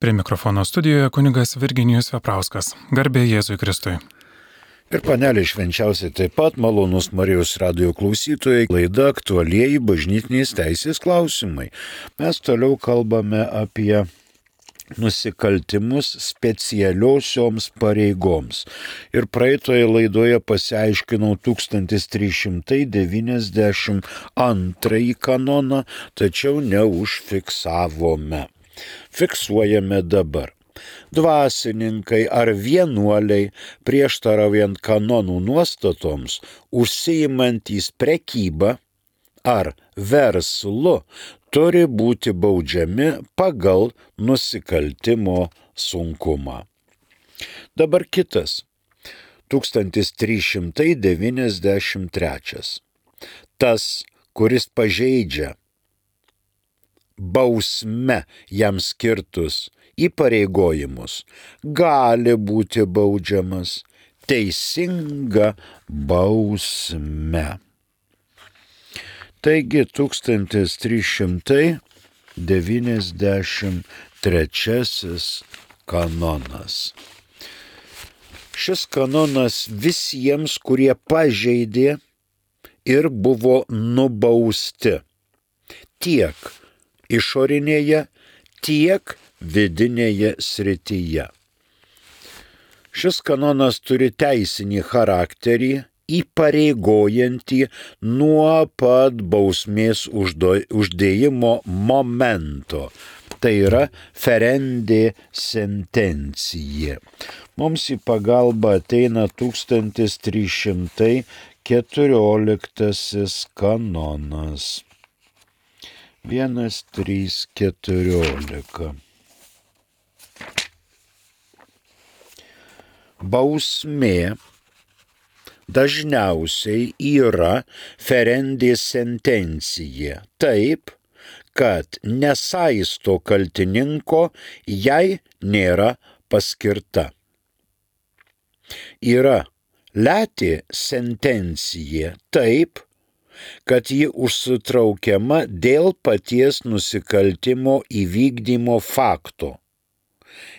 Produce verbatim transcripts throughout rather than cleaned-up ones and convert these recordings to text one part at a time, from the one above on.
Prie mikrofono studijoje kunigas Virginijus Veprauskas. Garbė Jėzui Kristui. Ir panelė švenčiausiai taip pat malonus Marijos radijo klausytojai, laida aktualieji bažnytinės teisės klausimai. Mes toliau kalbame apie nusikaltimus specialiosioms pareigoms. Ir praeitoje laidoje pasiaiškinau tūkstantis trys šimtai devyniasdešimt antrąjį kanoną, tačiau neužfiksavome. Fiksuojame dabar. Dvasininkai ar vienuoliai, prieštaraujant kanonų nuostatoms, užsiimantys prekybą ar verslu, turi būti baudžiami pagal nusikaltimo sunkumą. Dabar kitas. tūkstantis trys šimtai devyniasdešimt trečias. Tas, kuris pažeidžia bausme jam skirtus įpareigojimus, gali būti baudžiamas teisinga bausme. Taigi tūkstantis trys šimtai devyniasdešimt trečiasis kanonas. Šis kanonas visiems, kurie pažeidė ir buvo nubausti tiek išorinėje, tiek vidinėje srityje. Šis kanonas turi teisinį charakterį, įpareigojantį nuo pat bausmės uždėjimo momento. Tai yra ferendė sentencija. Mums į pagalbą ateina tūkstantis trys šimtai keturioliktasis kanonas. Vienas, trys, keturiolika. Bausmė dažniausiai yra ferendė sentencija, taip, kad nesaisto kaltininko, jei nėra paskirta. Yra letė sentencija, taip, kad ji užsitraukiama dėl paties nusikaltimo įvykdymo fakto,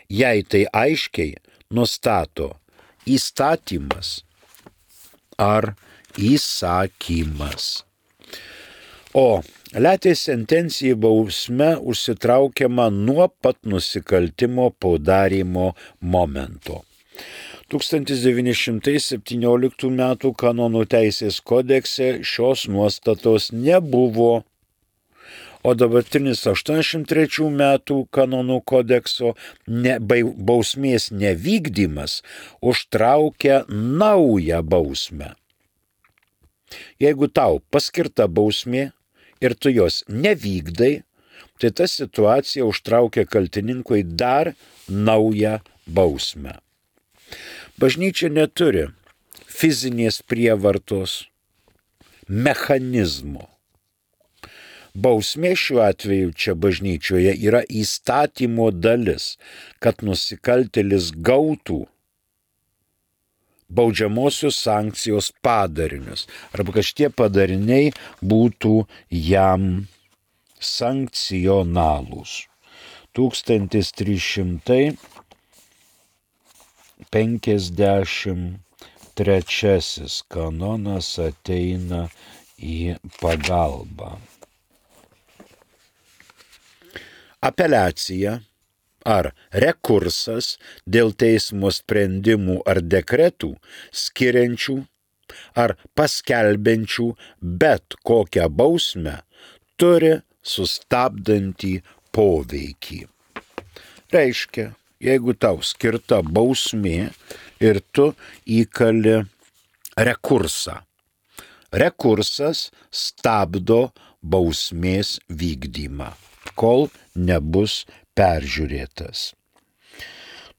jei tai aiškiai nustato įstatymas ar įsakymas. O letė sentencija bausme užsitraukiama nuo pat nusikaltimo padarymo momento. tūkstantis devyni šimtai septynioliktų metų kanonų teisės kodekse šios nuostatos nebuvo, o dabartinis aštuoniasdešimt trečių metų kanonų kodekso ne, bausmės nevykdymas užtraukia naują bausmę. Jeigu tau paskirta bausmė ir tu jos nevykdai, tai ta situacija užtraukia kaltininkui dar naują bausmę. Bažnyčia neturi fizinės prievartos mechanizmo. Bausmė šiuo atveju čia bažnyčioje yra įstatymo dalis, kad nusikaltėlis gautų baudžiamosios sankcijos padarinius, arba kad šitie padariniai būtų jam sankcionalūs. tūkstantis trys šimtai penkiasdešimt trečiasis kanonas ateina į pagalbą. Apeliacija ar rekursas dėl teismo sprendimų ar dekretų skiriančių ar paskelbiančių bet kokią bausmę turi sustabdantį poveikį. Reiškia, jeigu tau skirta bausmė ir tu įkali rekursą. Rekursas stabdo bausmės vykdymą, kol nebus peržiūrėtas.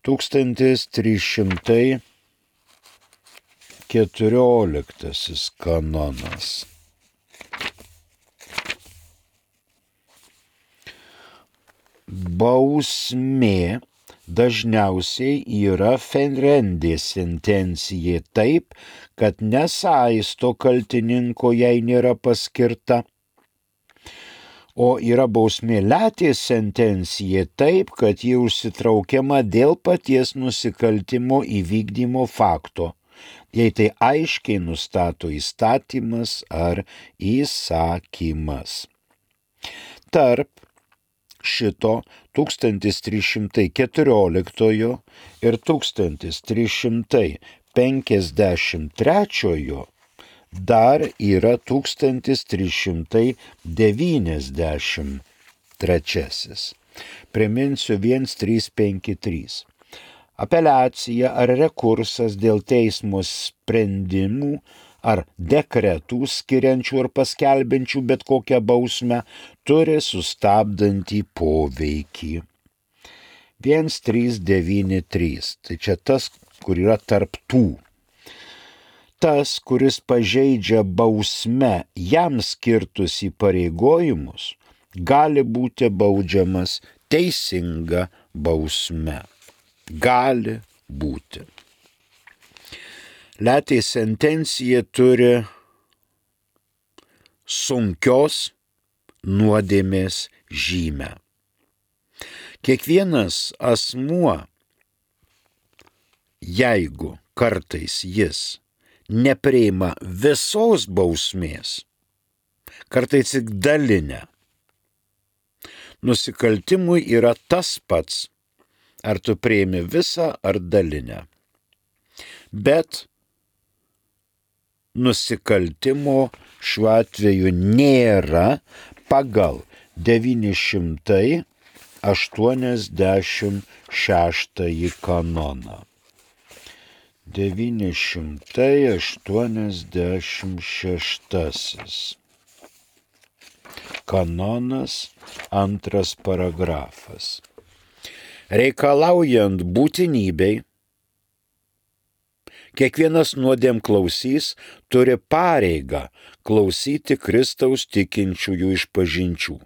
tūkstantis trys šimtai keturioliktasis kanonas. Bausmė dažniausiai yra ferendė sentencija taip, kad nesaisto kaltininko, jei nėra paskirta, O yra bausmė letės sentencija taip, kad ji užsitraukiama dėl paties nusikaltimo įvykdymo fakto, jei tai aiškiai nustato įstatymas ar įsakymas. Tarp šito tūkstantis trys šimtai keturioliktojo ir tūkstantis trys šimtai penkiasdešimt trečiojo dar yra tūkstantis trys šimtai devyniasdešimt trečiasis. Priminsiu vienas trys penki trys. Apeliacija ar rekursas dėl teismo sprendimų ar dekretų skiriančių ar paskelbiančių bet kokią bausmę turi sustabdantį poveikį. vienas trys devyni trys. Tai čia tas, kur yra tarp tų. Tas, kuris pažeidžia bausme jam skirtus įpareigojimus, gali būti baudžiamas teisinga bausme. Gali būti. Letės sentencija turi sunkios nuodėmės žymę. Kiekvienas asmuo, jeigu kartais jis nepriima visos bausmės, kartais tik dalinę, nusikaltimui yra tas pats, ar tu priimi visą ar dalinę. Bet nusikaltimo šiuo atveju nėra pagal devyni šimtai aštuoniasdešimt šeštąjį kanoną. devyni šimtai aštuoniasdešimt šeštasis. Kanonas, antras paragrafas. Reikalaujant būtinybei, kiekvienas nuodėmklausys turi pareigą klausyti Kristaus tikinčiųjų išpažinčių,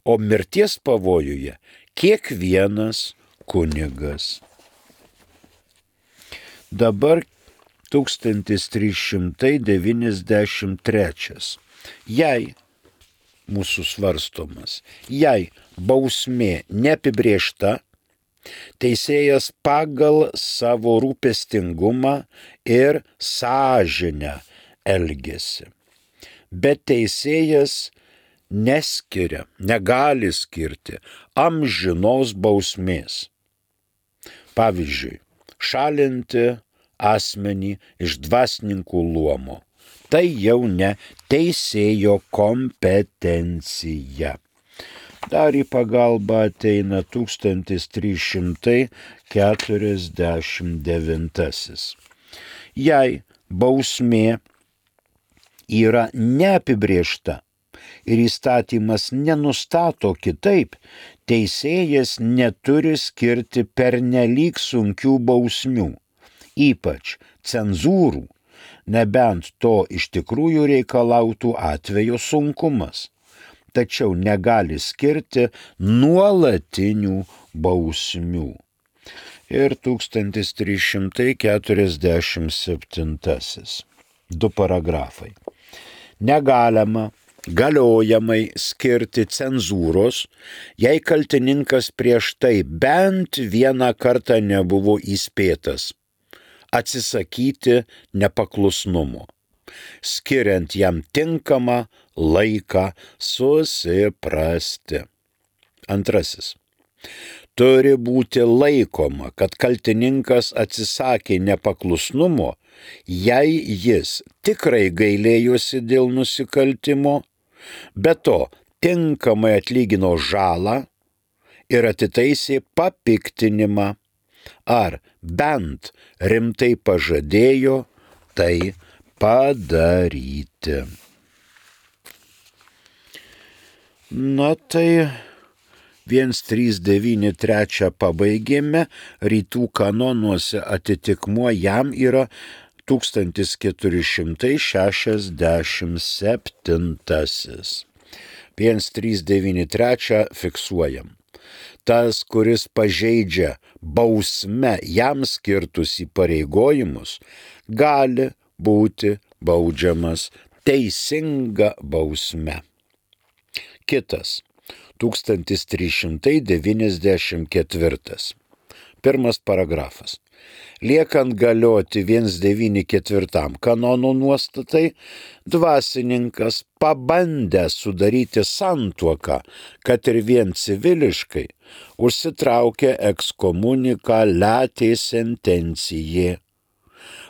o mirties pavojuje kiekvienas kunigas. Dabar tūkstantis trys šimtai devyniasdešimt trečias. Jei, mūsų svarstomas, jei bausmė neapibrėžta, teisėjas pagal savo rūpestingumą ir sąžinę elgiasi. Bet teisėjas neskiria, negali skirti amžinos bausmės. Pavyzdžiui, šalinti asmenį iš dvasininkų luomo. Tai jau ne teisėjo kompetencija. Dar į pagalbą ateina tūkstantis trys šimtai keturiasdešimt devintasis. Jei bausmė yra neapibrėžta ir įstatymas nenustato kitaip, teisėjas neturi skirti pernelyg sunkių bausmių, ypač cenzūrų, nebent to iš tikrųjų reikalautų atvejo sunkumas, tačiau negali skirti nuolatinių bausmių. Ir tūkstantis trys šimtai keturiasdešimt septintasis. Du paragrafai. Negalima galiojamai skirti cenzūros, jei kaltininkas prieš tai bent vieną kartą nebuvo įspėtas, atsisakyti nepaklusnumo, skiriant jam tinkamą laiką susiprasti. Antrasis. Turi būti laikoma, kad kaltininkas atsisakė nepaklusnumo, jei jis tikrai gailėjosi dėl nusikaltimo, be to tinkamai atlygino žalą ir atitaisė papiktinimą, ar bent rimtai pažadėjo tai padaryti. Na tai vienas trys devyni trys pabaigėme, rytų kanonuose atitikmuo jam yra tūkstantis keturi šimtai šešiasdešimt septintasis. vienas trys devyni trys fiksuojam. Tas, kuris pažeidžia bausme jam skirtus įpareigojimus, gali būti baudžiamas teisinga bausme. Kitas tūkstantis trys šimtai devyniasdešimt ketvirtas. Pirmas paragrafas. Liekant galioti vienas devyni ketvirtam kanono nuostatai, dvasininkas pabandė sudaryti santuoką, kad ir vien civiliškai, užsitraukė ekskomuniką letė sentencijė,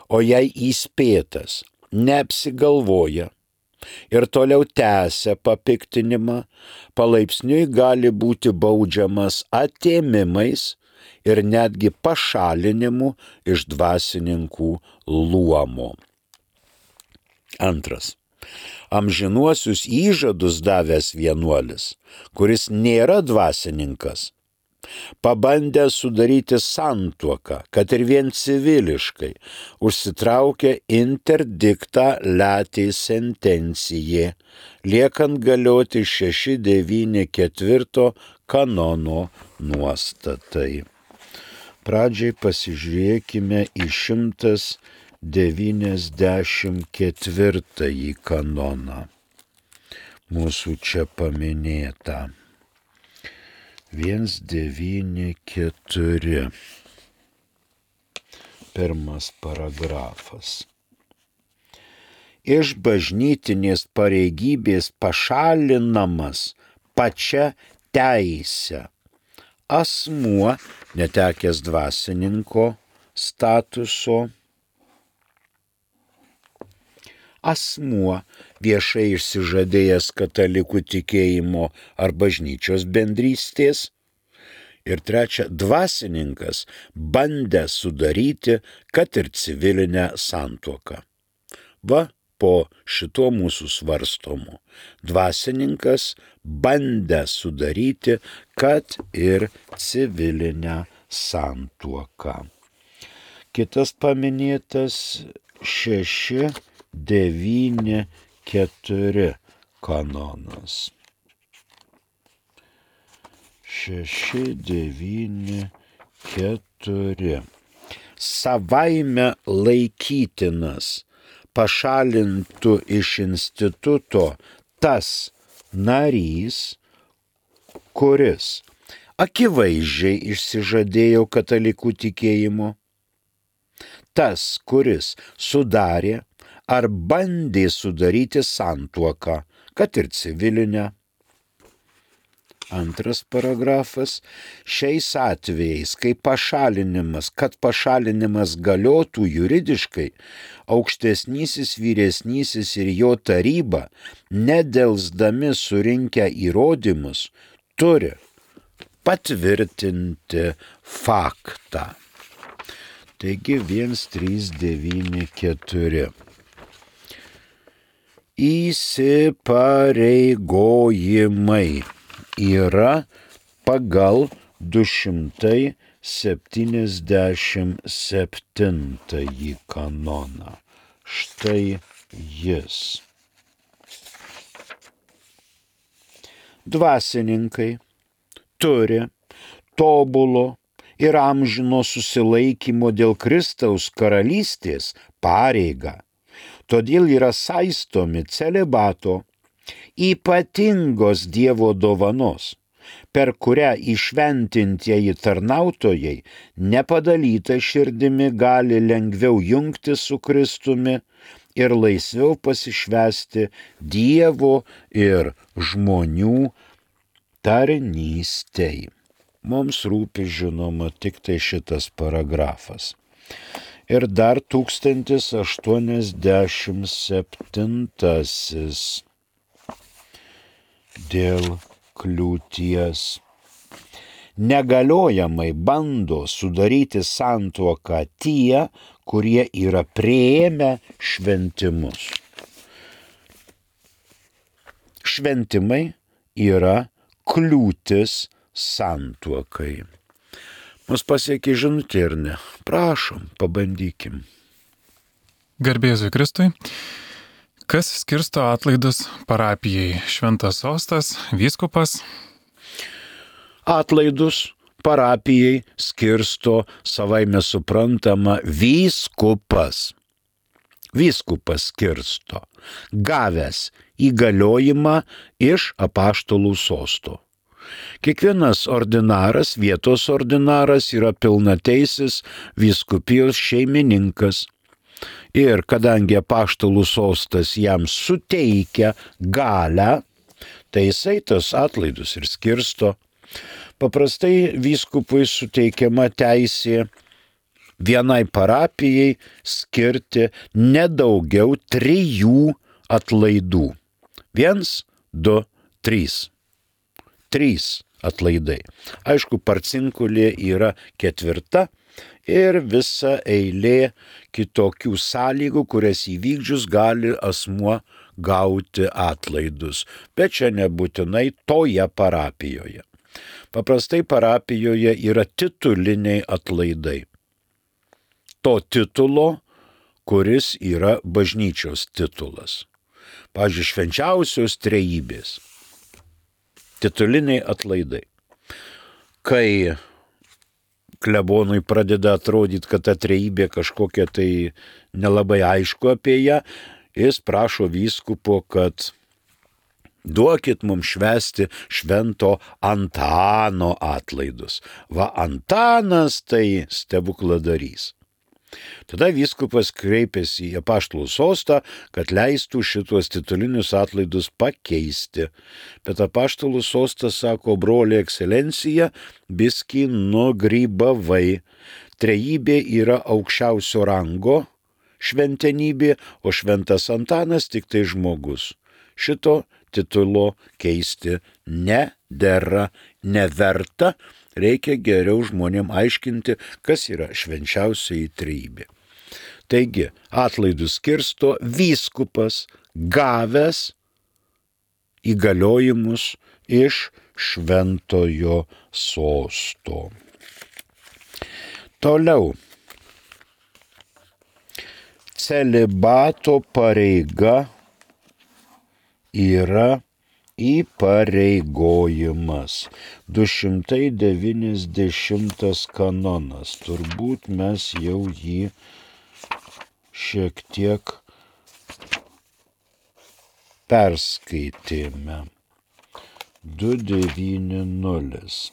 o jei įspėtas neapsigalvoja ir toliau tęsia papiktinimą, palaipsniui gali būti baudžiamas atėmimais ir netgi pašalinimu iš dvasininkų luomo. Antras. Amžinuosius įžadus davęs vienuolis, kuris nėra dvasininkas, pabandė sudaryti santuoką, kad ir vien civiliškai, užsitraukė interdiktą letė sentencijė, liekant galioti šeši devyni ketvirto kanono nuostatai. Pradžiai pasižiūrėkime į šimtas devyniasdešimt ketvirtąjį kanoną. Mūsų čia paminėta. vienas devyni keturi. Pirmas paragrafas. Iš bažnytinės pareigybės pašalinamas pačia teise asmuo, netekęs dvasininko statuso, asmuo viešai išsižadėjęs katalikų tikėjimo ar bažnyčios bendrystės, ir trečia, dvasininkas bandė sudaryti, kad ir civilinę santuoką. Va, po šito mūsų svarstomų. Dvasininkas bandė sudaryti, kad ir civilinę santuoką. Kitas paminėtas šeši devyni keturi kanonas. šeši devyni keturi. Savaime laikytinas pašalintų iš instituto tas narys, kuris akivaizdžiai išsižadėjo katalikų tikėjimo, tas, kuris sudarė ar bandė sudaryti santuoką, kad ir civilinę. Antras paragrafas. Šiais atvejais, kai pašalinimas, kad pašalinimas galiotų juridiškai, aukštesnysis, vyresnysis ir jo taryba, nedelsdami surinkę įrodymus, turi patvirtinti faktą. Taigi vienas trys devyni keturi. Įsipareigojimai yra pagal du šimtai septyniasdešimt septintąjį kanoną. Štai jis. Dvasininkai turi tobulo ir amžino susilaikymo dėl Kristaus karalystės pareigą. Todėl yra saistomi celibato, ypatingos Dievo dovanos, per kurią įšventintieji tarnautojai nepadalyta širdimi gali lengviau jungti su Kristumi ir laisviau pasišvęsti Dievo ir žmonių tarnystei. Mums rūpi, žinoma, tik tai šitas paragrafas. Ir dar tūkstantis aštuoniasdešimt septintasis. Dėl kliūties. Negaliojamai bando sudaryti santuoką tie, kurie yra priėmę šventimus. Šventimai yra kliūtis santuokai. Mus pasiekė žinutė ir ne. Prašom, pabandykim. Garbė Jėzui Kristui. Kas skirsto atlaidus parapijai? Šventas sostas, vyskupas? Atlaidus parapijai skirsto savaime suprantama vyskupas. vyskupas skirsto, gavęs įgaliojimą iš apaštalų sosto. Kiekvienas ordinaras, vietos ordinaras yra pilnateisis vyskupijos šeimininkas. Ir kadangi apaštalų sostas jam suteikia galią, tai jisai tas atlaidus ir skirsto. Paprastai vyskupui suteikiama teisė vienai parapijai skirti nedaugiau trijų atlaidų. Viens, du, trys. Trys atlaidai. Aišku, parcinkulė yra ketvirta ir visa eilė kitokių sąlygų, kurias įvykdžius gali asmuo gauti atlaidus. Bet čia nebūtinai toje parapijoje. Paprastai parapijoje yra tituliniai atlaidai. To titulo, kuris yra bažnyčios titulas. Pavyzdžiui, švenčiausios trejybės. Tituliniai atlaidai. Kai klebonui pradeda atrodyti, kad ta trejybė kažkokia tai nelabai aišku apie ją, jis prašo vyskupo, kad duokit mums švęsti švento Antano atlaidus. Va, Antanas tai stebukladarys. Tada vyskupas kreipėsi į apaštalų sostą, kad leistų šitos titulinius atlaidus pakeisti. Bet apaštalų sostas sako, broliai ekscelencija, biskį nugrybavai. Trejybė yra aukščiausio rango šventenybė, o šventas Antanas tik tai žmogus. Šito titulo keisti nedera, neverta. Reikia geriau žmonėm aiškinti, kas yra švenčiausioji trejybė. Taigi, atlaidus skirsto vyskupas gavęs įgaliojimus iš šventojo sosto. Toliau. Celibato pareiga yra įpareigojimas. du šimtai devyniasdešimtas kanonas. Turbūt mes jau jį šiek tiek perskaitėme. du devyniasdešimt.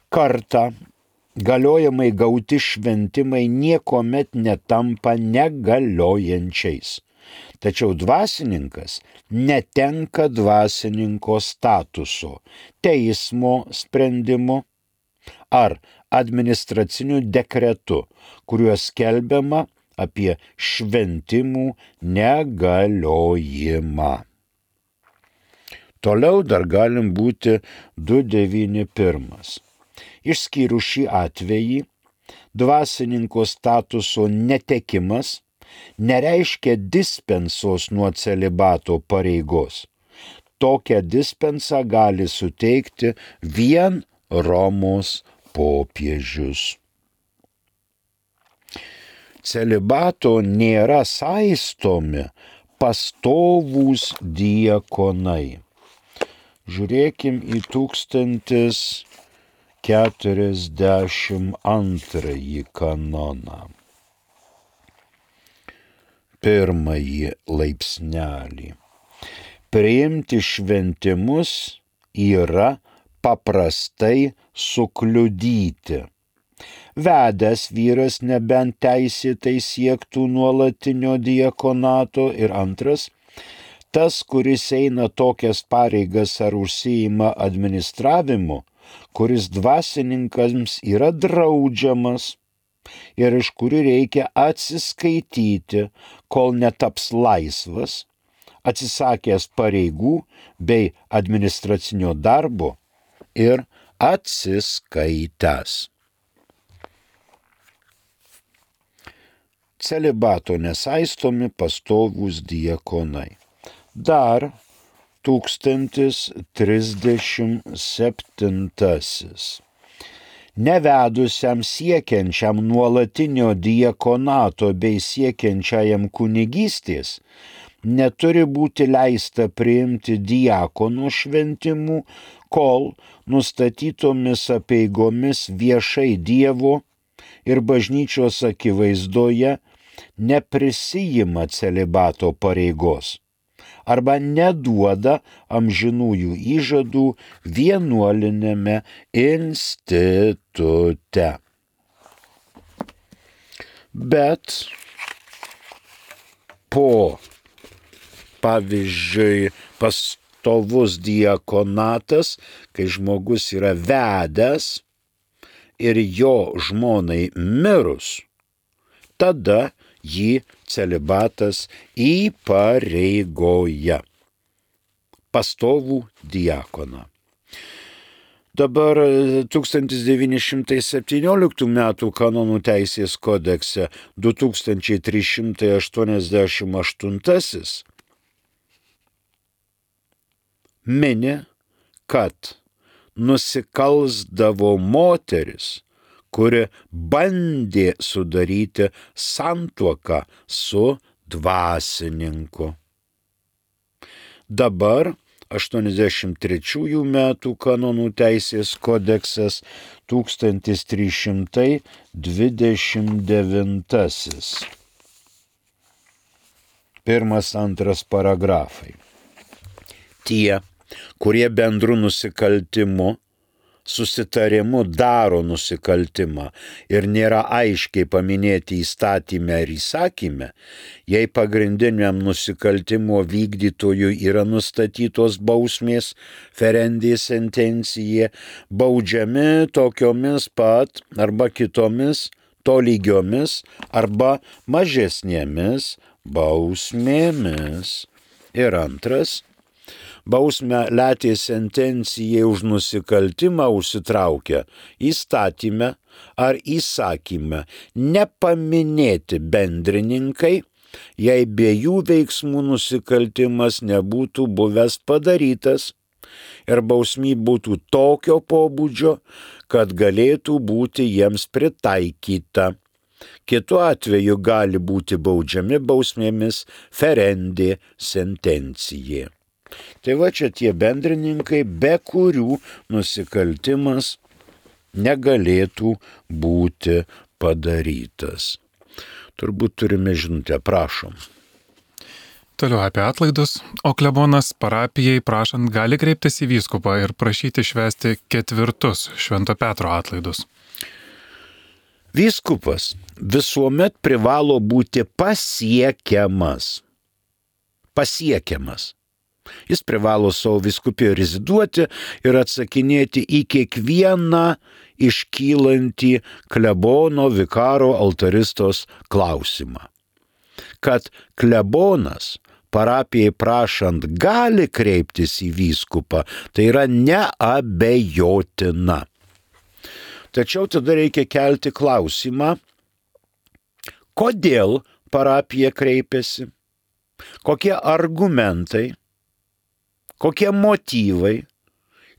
Kartą galiojamai gauti šventimai niekomet netampa negaliojančiais. Tačiau dvasininkas netenka dvasininko statuso teismo sprendimu ar administraciniu dekretu, kuriuo skelbiama apie šventimų negaliojimą. Toliau dar galim būti du devyniasdešimt pirmas. Išskyrus šį atvejį, dvasininko statuso netekimas nereiškia dispensos nuo celibato pareigos. Tokią dispensą gali suteikti vien Romos popiežius. Celibato nėra saistomi pastovūs diakonai. Žiūrėkim į tūkstantis keturiasdešimt antrąjį kanoną. Pirmąjį laipsnelį. Priimti šventimus yra paprastai sukliudyti. Vedęs vyras nebent teisėtai siektų nuolatinio diakonato ir antras, tas, kuris eina tokias pareigas ar užsiima administravimu, kuris dvasininkams yra draudžiamas ir iš kurių reikia atsiskaityti, kol netaps laisvas, atsisakęs pareigų bei administracinio darbo ir atsiskaitęs. Celibato nesaistomi pastovūs diakonai. Dar tūkstantis trisdešimt septintasis. Nevedusiam siekiančiam nuolatinio diakonato bei siekiančiajam kunigystės neturi būti leista priimti diakonų šventimų, kol nustatytomis apeigomis viešai Dievo ir bažnyčios akivaizdoje neprisijima celibato pareigos arba neduoda amžinųjų įžadų vienuolinėme institute. Bet po, pavyzdžiui, pastovus diakonatas, kai žmogus yra vedęs ir jo žmonai mirus, tada jį celibatas įpareigoja pastovų diakoną. Dabar tūkstantis devyni šimtai septynioliktų metų kanonų teisės kodekse du tūkstančiai trys šimtai aštuoniasdešimt aštuntasis mini, kad nusikalsdavo moteris, kuri bandė sudaryti santuoką su dvasininku. Dabar aštuoniasdešimt trečiųjų metų kanonų teisės kodeksas tūkstantis trys šimtai dvidešimt devintasis. Pirmas, antras paragrafai. Tie, kurie bendru nusikaltimu, susitarimu daro nusikaltimą ir nėra aiškiai paminėti įstatyme ar įsakyme, jei pagrindiniam nusikaltimo vykdytojui yra nustatytos bausmės ferendė sentencija, baudžiami tokiomis pat arba kitomis tolygiomis arba mažesnėmis bausmėmis. Ir antras, bausmę letė sentencijai už nusikaltimą užsitraukia įstatyme ar įsakyme nepaminėti bendrininkai, jei be jų veiksmų nusikaltimas nebūtų buvęs padarytas ir bausmė būtų tokio pobūdžio, kad galėtų būti jiems pritaikyta. Kitu atveju gali būti baudžiami bausmėmis ferendė sentencija. Tai va čia tie bendrininkai, be kurių nusikaltimas negalėtų būti padarytas. Turbūt turime žinutę, prašom. Toliau apie atlaidus, o klebonas parapijai prašant gali kreiptis į vyskupą ir prašyti švęsti ketvirtus Švento Petro atlaidus. Vyskupas visuomet privalo būti pasiekiamas. Pasiekiamas. Jis privalo savo vyskupijoje reziduoti ir atsakinėti į kiekvieną iškylantį klebono, vikaro, altaristos klausimą. Kad klebonas parapijai prašant gali kreiptis į vyskupą, tai yra neabejotina. Tačiau tada reikia kelti klausimą, kodėl parapija kreipiasi, kokie argumentai, kokie motyvai,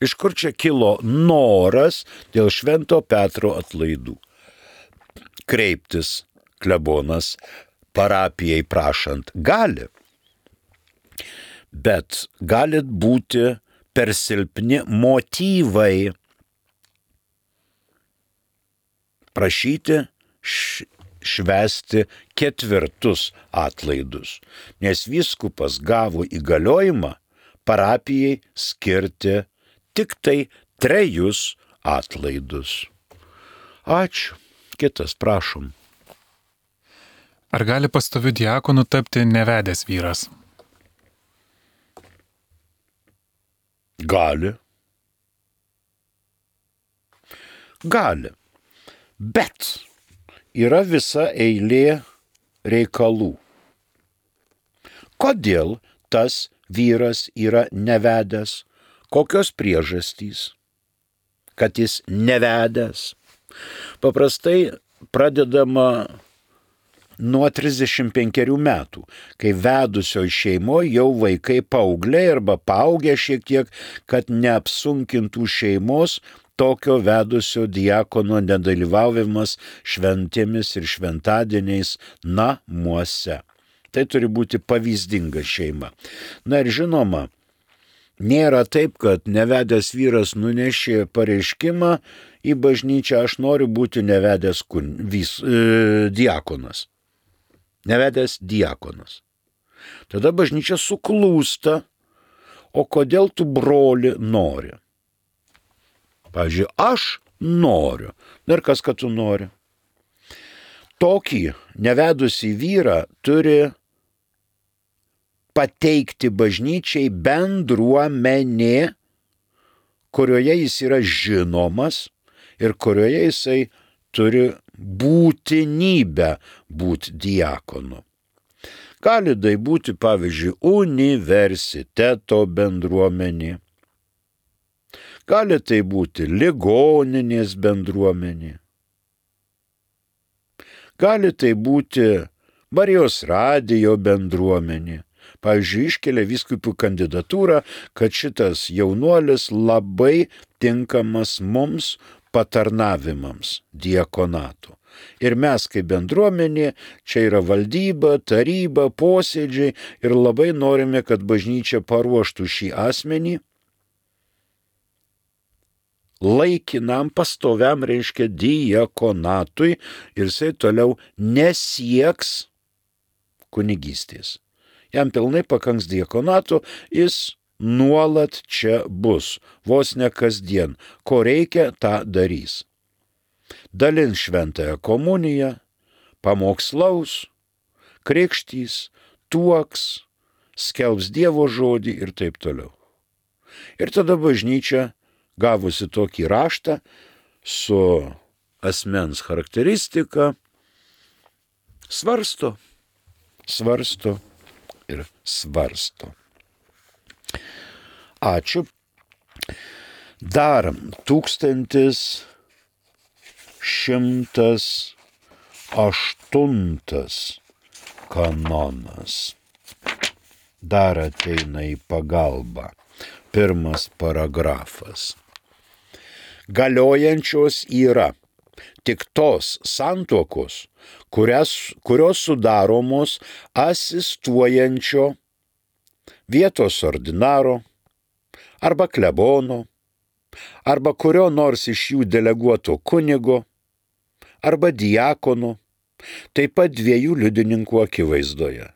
iš kur čia kilo noras dėl Švento Petro atlaidų. Kreiptis klebonas parapijai prašant gali, bet gali būti per silpni motyvai prašyti švęsti ketvirtus atlaidus, nes vyskupas gavo įgaliojimą parapijai skirti tik tai trejus atlaidus. Ačiū. Kitas, prašom. Ar gali pastoviu diakonu tapti nevedęs vyras? Gali. Gali. Bet yra visa eilė reikalų. Kodėl tas vyras yra nevedęs? Kokios priežastys, kad jis nevedęs? Paprastai pradedama nuo trisdešimt penkerių metų, kai vedusioj šeimoje jau vaikai paaugliai arba paaugę šiek tiek, kad neapsunkintų šeimos tokio vedusio diakono nedalyvavimas šventėmis ir šventadieniais namuose. Tai turi būti pavyzdinga šeima. Na ir žinoma, nėra taip, kad nevedęs vyras nunešė pareiškimą į bažnyčią, aš noriu būti nevedęs kun, vis, e, diakonas. nevedęs diakonas. Tada bažnyčia suklūsta, o kodėl tu broli nori? Pavyzdžiui, aš noriu. Ir kas, kad tu nori? Tokį nevedusį vyrą turi pateikti bažnyčiai bendruomenė, kurioje jis yra žinomas ir kurioje jisai turi būtinybę būti diakonu. Gali tai būti, pavyzdžiui, universiteto bendruomenė. Gali tai būti ligoninės bendruomenė. Gali tai būti Marijos radijo bendruomenė. Pavyzdžiui, iškelia vyskupų kandidatūrą, kad šitas jaunuolis labai tinkamas mums patarnavimams diakonato. Ir mes kaip bendruomenė, čia yra valdyba, taryba, posėdžiai ir labai norime, kad bažnyčia paruoštų šį asmenį laikinam, pastoviam, reiškia, diakonatui ir jisai toliau nesieks kunigystės. Jam pilnai pakanks diakonato, jis nuolat čia bus, vos ne kasdien. Ko reikia, tą darys. Dalins šventąją komuniją, pamokslaus, krikštys, tuoks, skelbs Dievo žodį ir taip toliau. Ir tada bažnyčia, gavusi tokį raštą su asmens charakteristika, svarsto, svarsto ir svarsto. Ačiū. Dar tūkstantis šimtas aštuntas kanonas. Dar ateina į pagalbą. Pirmas paragrafas. Galiojančios yra tik tos santuokos, kurias, kurios sudaromos asistuojančio vietos ordinaro arba klebono, arba kurio nors iš jų deleguoto kunigo, arba diakono, taip pat dviejų liudininkų akivaizdoje.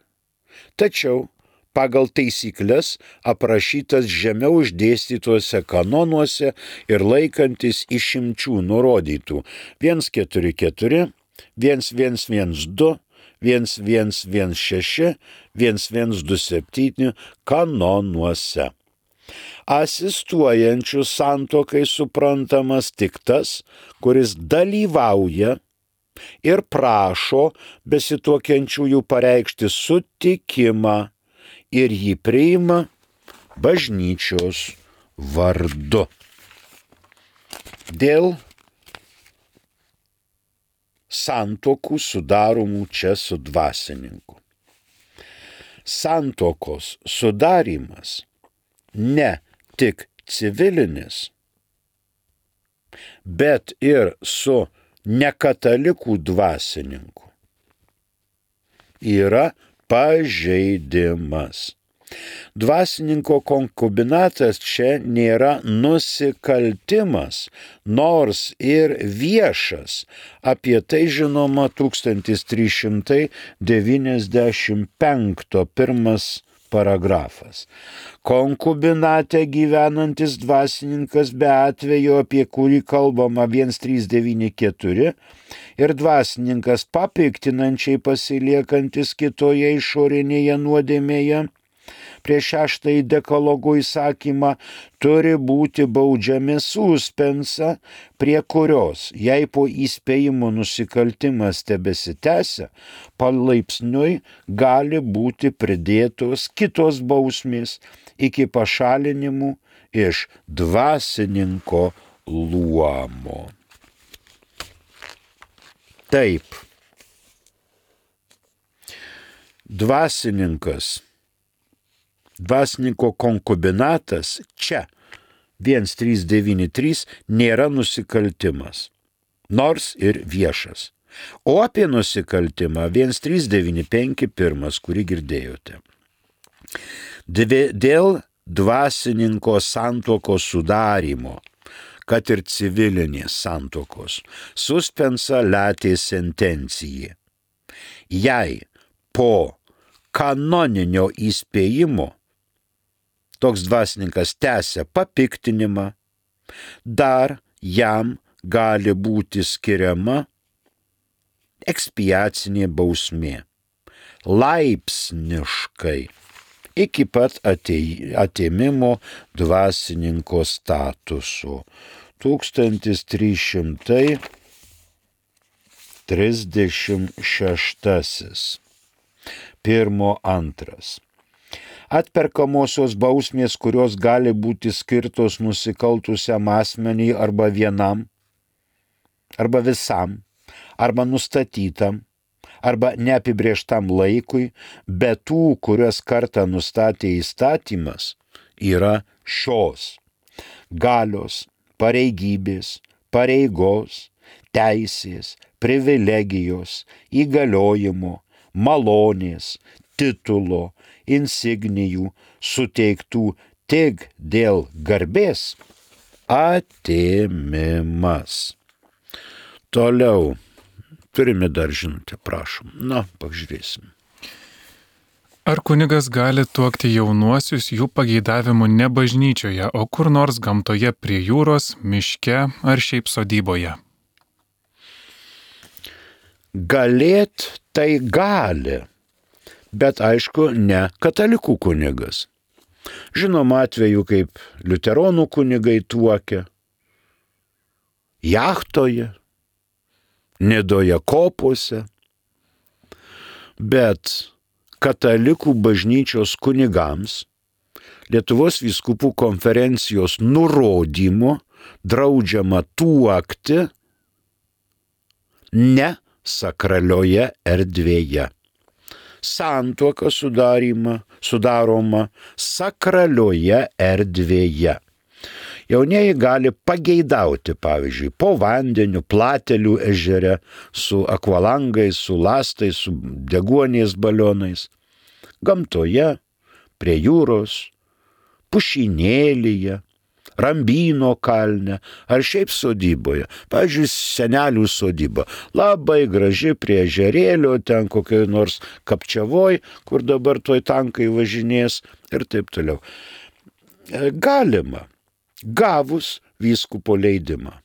Tačiau pagal taisyklės aprašytas žemiau išdėstytuose kanonuose ir laikantis išimčių nurodytų vienas keturi keturi, vienas vienas vienas du, vienas vienas vienas šeši, vienas vienas du septyni kanonuose. Asistuojančių santuokai suprantamas tik tas, kuris dalyvauja ir prašo besituokiančiųjų pareikšti sutikimą ir jį priima bažnyčios vardu. Dėl santuokų sudaromų čia su dvasininku. Santuokos sudarimas ne tik civilinis, bet ir su nekatalikų dvasininku yra pažeidimas. Dvasininko konkubinatas čia nėra nusikaltimas, nors ir viešas. Apie tai žinoma tūkstantis trys šimtai devyniasdešimt penktas pirmas paragrafas. Konkubinate gyvenantis dvasininkas be atvejo, apie kurį kalbama vienas trys devyni keturi, ir dvasininkas papiktinančiai pasiliekantis kitoje išorinėje nuodėmėje, prieš šeštąjį dekalogo įsakymą turi būti baudžiami suspensa, prie kurios, jei po įspėjimo nusikaltimas tebesitęsia, palaipsniui gali būti pridėtos kitos bausmės iki pašalinimų iš dvasininko luomo. Taip, dvasininkas Dvasininko konkubinatas čia vienas trys devyni trys nėra nusikaltimas, nors ir viešas. O apie nusikaltimą vienas trys devyni penki pirmas, kurį girdėjote. Dėl dvasininko santuokos sudarimo, kad ir civilinės santuokos, suspensa latė sentencijai. Jei po kanoninio įspėjimo toks dvasininkas tęsia papiktinimą, dar jam gali būti skiriama ekspiacinė bausmė. Laipsniškai iki pat atėmimo dvasininko statuso. tūkstantis trys šimtai trisdešimt šeštasis. Pirmo antras. Atperkamosios bausmės, kurios gali būti skirtos nusikaltusiam asmeniui arba vienam, arba visam, arba nustatytam, arba neapibrėžtam laikui, bet tų, kurias kartą nustatė įstatymas, yra šios: galios, pareigybės, pareigos, teisės, privilegijos, įgaliojimo, malonės, titulo, insignijų suteiktų tik dėl garbės atėmimas. Toliau. Turime dar žinutę, prašom. Na, pažiūrėsim. Ar kunigas gali tuokti jaunuosius jų pageidavimu ne bažnyčioje, o kur nors gamtoje prie jūros, miške ar šiaip sodyboje? Galėt tai gali, bet aišku, ne katalikų kunigas. Žinom atveju, kaip liuteronų kunigai tuokia, jachtoje, Nidoje kopose, bet katalikų bažnyčios kunigams Lietuvos vyskupų konferencijos nurodymu draudžiama tuokti ne sakralioje erdvėje. Santuoka sudaroma sakralioje erdvėje. Jaunieji gali pageidauti, pavyzdžiui, po vandeniu, Platelių ežere, su akvalangais, su lastais, su deguonies balionais, gamtoje, prie jūros, pušynėlyje, Rambyno kalne ar šiaip sodyboje. Pavyzdžiui, senelių sodyba. Labai graži prie ežerėlio, ten kokioj nors Kapčiavoj, kur dabar toj tankai važinės ir taip toliau. Galima, gavus vyskupo leidimą.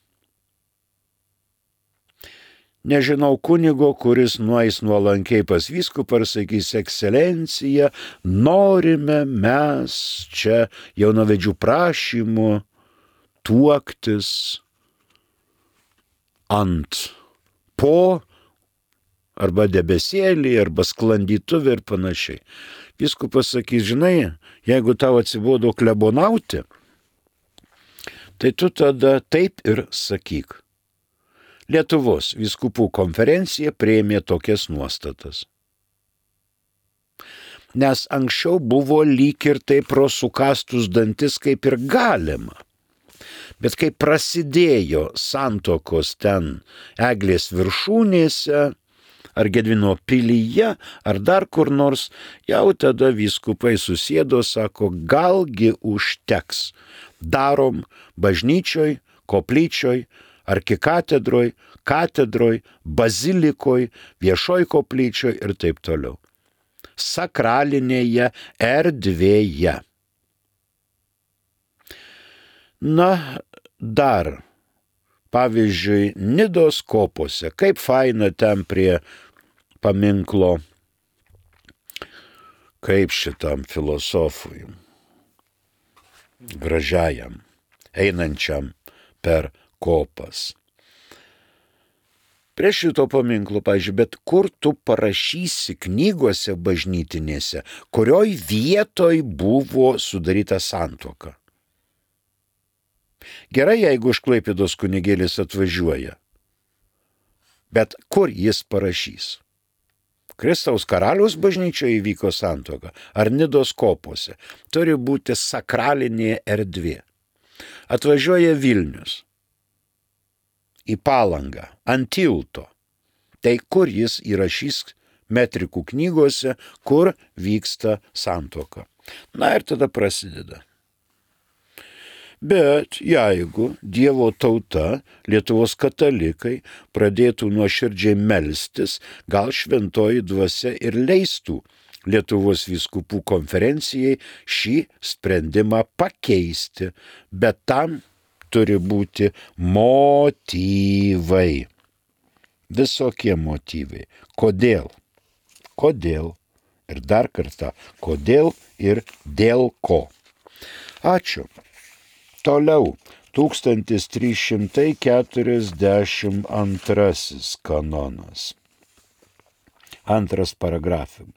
Nežinau kunigo, kuris nueis nuolankiai pas vyskupą ir sakys: ekscelencija, norime mes čia jaunavedžių prašymų tuoktis ant po arba debesėlį, arba sklandytuvį ir panašiai. Vyskupas sakys: žinai, jeigu tau atsibodo klebonauti, tai tu tada taip ir sakyk. Lietuvos vyskupų konferencija priėmė tokias nuostatas. Nes anksčiau buvo lyg ir taip pro sukastus dantis kaip ir galima. Bet kai prasidėjo santuokos ten Eglės viršūnėse, ar Gedimino pilyje, ar dar kur nors, jau tada vyskupai susėdo, sako: galgi užteks. Darom bažnyčioj, koplyčioj, arkikatedroj, katedroj, bazilikoj, viešoj koplyčioj ir taip toliau. Sakralinėje erdvėje. Na, dar, pavyzdžiui, Nidos kopose, kaip faina ten prie paminklo, kaip šitam filosofui, gražiajam, einančiam per kopas. Prie šito paminklo, pavyzdžiui, bet kur tu parašysi knygose bažnytinėse, kurioj vietoj buvo sudaryta santuoka? Gerai, jeigu iš Klaipėdos kunigėlis atvažiuoja, bet kur jis parašys? Kristaus karaliaus bažnyčioje įvyko santuoka, ar Nidos kopose? Turi būti sakralinė erdvė. Atvažiuoja Vilnius į Palangą, ant tilto. Tai kur jis įrašys metrikų knygose, kur vyksta santuoka? Na ir tada prasideda. Bet jeigu Dievo tauta, Lietuvos katalikai, pradėtų nuoširdžiai melstis, gal šventoji dvasia ir leistų Lietuvos vyskupų konferencijai šį sprendimą pakeisti, bet tam turi būti motyvai. Visokie motyvai. Kodėl? Kodėl? Ir dar kartą, kodėl ir dėl ko. Ačiū. Toliau, tūkstantis trys šimtai keturiasdešimt antrasis kanonas. Antras paragrafas.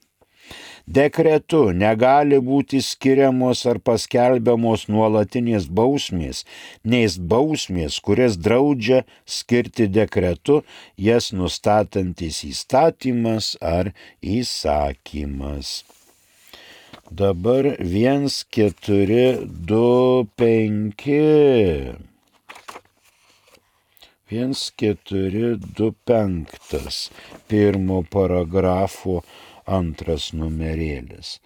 Dekretu negali būti skiriamos ar paskelbiamos nuolatinės bausmės, nes bausmės, kurias draudžia skirti dekretu, jas nustatantis įstatymas ar įsakymas. Dabar vienas, keturi, du, penki. Vienas, keturi, du, penktas. Pirmo paragrafo antras numerėlis.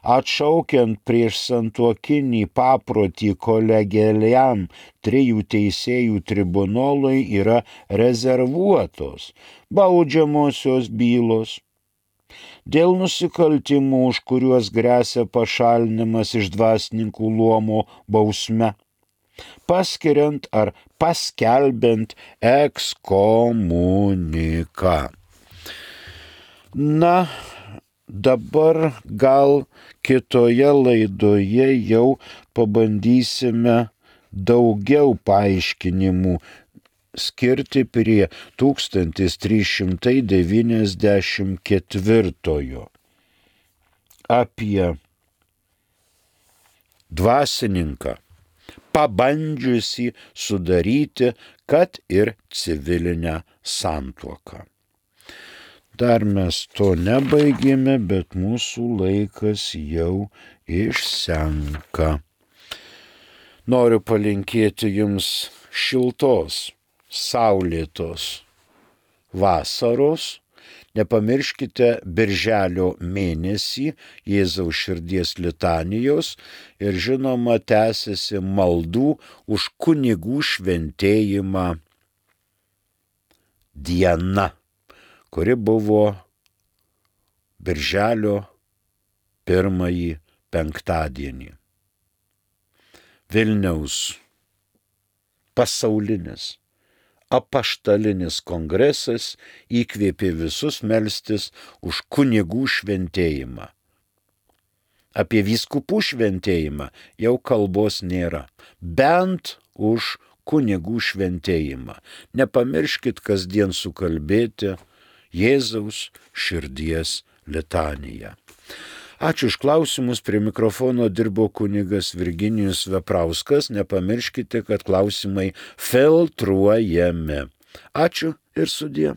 Atšaukiant prieš santuokinį paprotį kolegialiam trijų teisėjų tribunolui yra rezervuotos baudžiamosios bylos. Dėl nusikaltimų, už kuriuos gresia pašalinimas iš dvasininkų luomo bausme, paskiriant ar paskelbiant ekskomuniką. Na, dabar gal kitoje laidoje jau pabandysime daugiau paaiškinimų skirti prie tūkstantis trys šimtai devyniasdešimt ketvirtojo apie dvasininką, pabandžiusi sudaryti, kad ir civilinę santuoką. Dar mes to nebaigėme, bet mūsų laikas jau išsenka. Noriu palinkėti jums šiltos, saulėtos vasaros. Nepamirškite birželio mėnesį Jėzaus širdies litanijos ir žinoma tęsiasi maldų už kunigų šventėjimą diena, kuri buvo birželio pirmąjį penktadienį. Vilniaus pasaulinis apaštalinis kongresas įkvėpė visus melstis už kunigų šventėjimą. Apie vyskupų šventėjimą jau kalbos nėra, bent už kunigų šventėjimą. Nepamirškit kasdien sukalbėti Jėzaus širdies litaniją. Ačiū už klausimus, prie mikrofono dirbo kunigas Virginijus Veprauskas. Nepamirškite, kad klausimai filtruojami. Ačiū ir sudie.